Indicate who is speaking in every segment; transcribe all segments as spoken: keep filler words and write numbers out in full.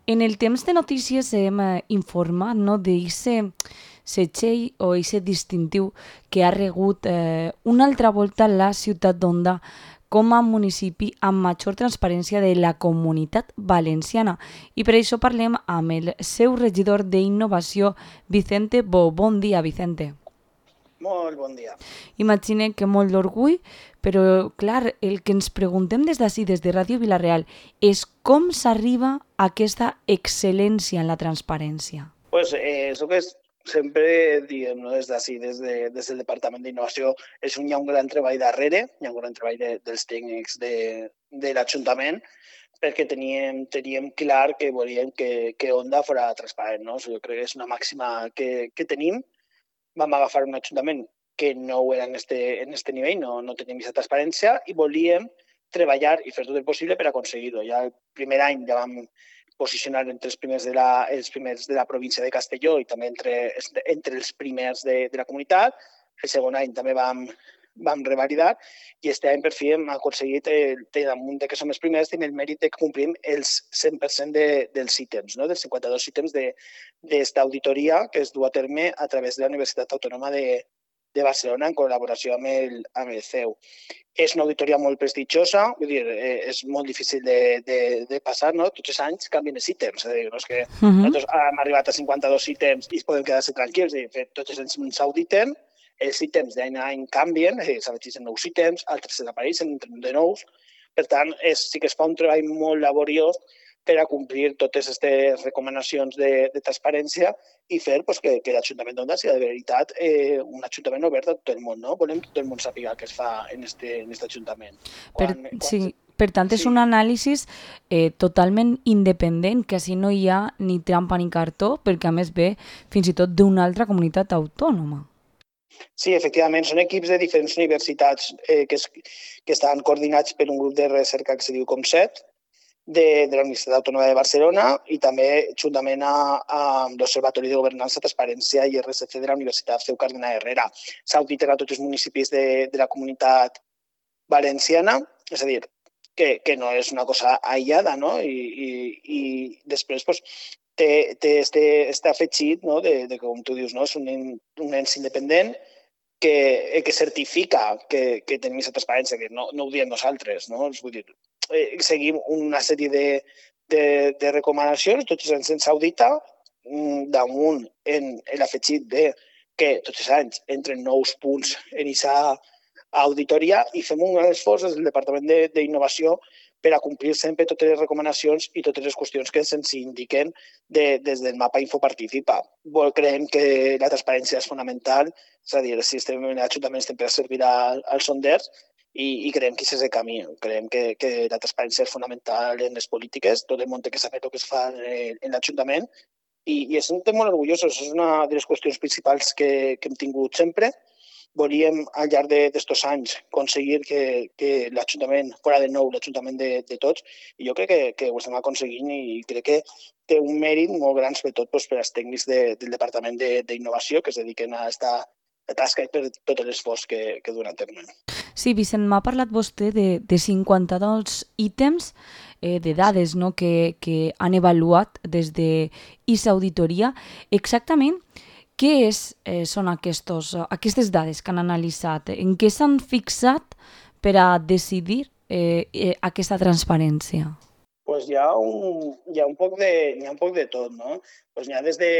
Speaker 1: En el temps de notícies hem eh, informat, no, d'eixe setxell o eixe distintiu que ha regut eh, una altra volta la ciutat d'Onda com a municipi amb major transparència de la comunitat valenciana. I per això parlem amb el seu regidor d'innovació, Vicente Bo. Bon dia, Vicente.
Speaker 2: Molt bon dia.
Speaker 1: Imagine que molt d'orgull, però clar, el que ens preguntem des d'ací, des de Ràdio Vila-real, és com s'arriba a aquesta excel·lència en la transparència.
Speaker 2: Pues eh, això que és, sempre diem, no, des d'ací, des, de, des del Departament d'Innovació, és un, hi ha un gran treball darrere, hi ha un gran treball de, dels tècnics de, de l'Ajuntament, perquè teníem, teníem clar que volíem que, que Onda fora transparent. No? Jo crec que és una màxima que, que tenim. Vam agafar un ajuntament que no ho era en este, en este nivell, no, no teníem aquesta transparència i volíem treballar i fer tot el possible per aconseguir-ho. Ja el primer any ja vam posicionar entre els primers de la, els primers de la província de Castelló i també entre, entre els primers de, de la comunitat. El segon any també vam, vam revalidar i aquest any per fi hem aconseguit, eh, damunt de que som els primers, tenim el mèrit de que complim els cent per cent de, dels ítems, no? dels cinquanta-dos ítems d'esta auditoria que es du a terme a través de la Universitat Autònoma de, de Barcelona en col·laboració amb el, amb el C E U. És una auditoria molt prestigiosa, vull dir, eh, és molt difícil de, de, de passar, no? Tots els anys canvien els ítems, és a dir, no és que uh -huh. nosaltres hem arribat a cinquanta-dos ítems i podem quedar-se tranquils, és dir, tots els anys s'auditen, els ítems d'any a any canvien, s'afegeixen nous ítems, altres desapareixen, entren de nous. Per tant, és, sí que es fa un treball molt laboriós per a complir totes aquestes recomanacions de, de transparència i fer pues, que, que l'Ajuntament d'Onda sigui de veritat eh, un ajuntament obert a tot el món. No? Volem que tot el món sàpiga què es fa en este, en este ajuntament.
Speaker 1: Quan, per, quan... Sí. Per tant, és sí. un anàlisi eh, totalment independent, que així no hi ha ni trampa ni cartó, perquè a més ve fins i tot d'una altra comunitat autònoma.
Speaker 2: Sí, efectivament, són equips de diferents universitats eh, que, es, que estan coordinats per un grup de recerca que se diu COMSET, de, de la Universitat Autònoma de Barcelona i també juntament amb l'Observatori de Governança, Transparència i R S C de la Universitat C E U Cardenal Herrera. S'auditen a tots els municipis de, de la comunitat valenciana, és a dir, que, que no és una cosa aïllada, no? I, i, i després, doncs, té, té este, este afegit, no? de, de, com tu dius, no? És un, un ens independent que, que certifica que, que tenim aquesta transparència, que no, no ho diem nosaltres, no? Vull dir, eh, seguim una sèrie de, de, de recomanacions, tots els anys se'ns audita, damunt en, en l'afegit de que tots els anys entren nous punts en aquesta auditoria i fem un gran esforç des del Departament d'Innovació per a complir sempre totes les recomanacions i totes les qüestions que se'ns indiquen de, des del mapa Infoparticipa. Creiem que la transparència és fonamental, és a dir, si estem en l'Ajuntament estem per servir als sonders i, i creiem que aquest és el camí. Creiem que, que la transparència és fonamental en les polítiques, tot el món té que saber el que es fa en, en l'Ajuntament i, i estem molt orgullosos, és una de les qüestions principals que, que hem tingut sempre. Volíem, al llarg d'aquests anys, aconseguir que, que l'Ajuntament fora de nou l'Ajuntament de, de tots i jo crec que, que ho estem aconseguint i crec que té un mèrit molt gran, sobretot doncs, per als tècnics de, del Departament d'Innovació que es dediquen a aquesta tasca i per tot l'esforç que, que duen a terme.
Speaker 1: Sí, Vicent, m'ha parlat vostè de, de cinquanta-dos ítems eh, de dades, no?, que, que han avaluat des d'aquesta auditoria. Exactament, què és, eh, són aquestos, aquestes dades que han analitzat? En què s'han fixat per a decidir eh, eh, aquesta transparència?
Speaker 2: Pues hi ha un, hi ha un, poc, de, hi ha un poc de tot, no? Pues hi ha des de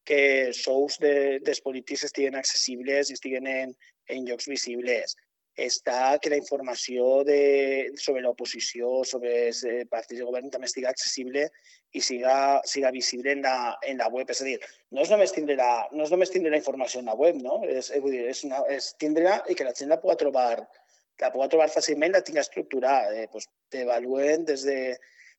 Speaker 2: que sous de, dels polítics estiguen accessibles i estiguen en, en llocs visibles. Està que la informació de, sobre l'oposició, sobre els partits de govern també estigui accessible i siga, siga visible en la, en la web. És a dir, no és només tindre la, no és només tindre la informació en la web, no? És, vull dir, és, una, és tindre-la i que la gent la pugui trobar, la pugui trobar fàcilment, la tingui estructurada. Eh? Pues t'avaluen des de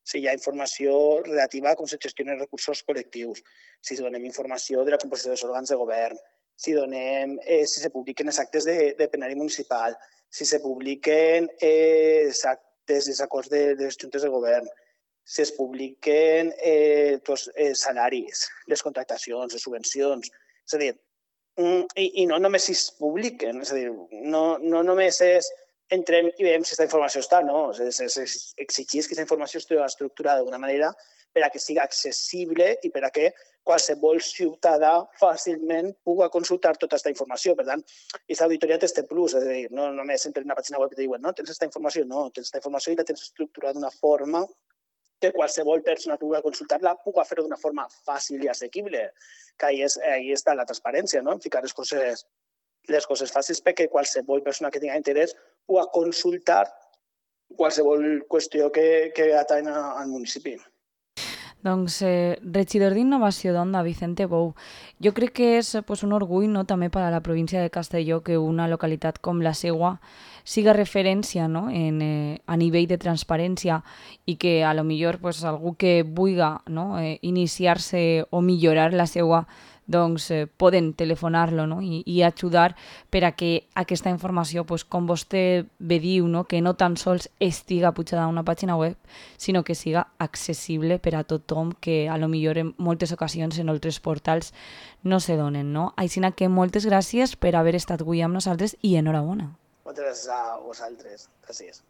Speaker 2: si hi ha informació relativa a com se gestionen recursos col·lectius, si donem informació de la composició dels òrgans de govern, si donem, eh, si se publiquen els actes de, de plenari municipal, si se publiquen eh, els actes, els acords de, de les juntes de govern, si es publiquen eh, tots els salaris, les contractacions, les subvencions. És a dir, i, i no només si es publiquen, és a dir, no, no només és entrem i veiem si aquesta informació està, no? Exigir que aquesta informació estigui estructurada d'una manera per a que sigui accessible i per a que qualsevol ciutadà fàcilment pugui consultar tota aquesta informació. Per tant, aquesta auditoria té este plus, és a dir, no només entren en una pàgina web i te diuen no, tens aquesta informació, no, tens aquesta informació i la tens estructurada d'una forma que qualsevol persona que pugui consultar-la pugui fer-ho d'una forma fàcil i assequible, que ahí, és, ahí està la transparència, no? Ficar les coses, les coses fàcils perquè qualsevol persona que tingui interès pugui consultar qualsevol qüestió que, que ateny al municipi.
Speaker 1: Doncs, eh, regidor d'Innovació d'Onda, Vicente Bou, jo crec que és pues, un orgull no, també per a la província de Castelló que una localitat com la seua siga referència no, en, eh, a nivell de transparència i que a lo millor pues, algú que vulga no, eh, iniciar-se o millorar la seua doncs eh, poden telefonar-lo no? I, i ajudar per a que aquesta informació, pues, com vostè bé diu, no? Que no tan sols estiga pujada a una pàgina web, sinó que siga accessible per a tothom que a lo millor en moltes ocasions en altres portals no se donen. No? Així que moltes gràcies per haver estat avui amb nosaltres i enhorabona.
Speaker 2: Moltes gràcies a vosaltres. Gràcies.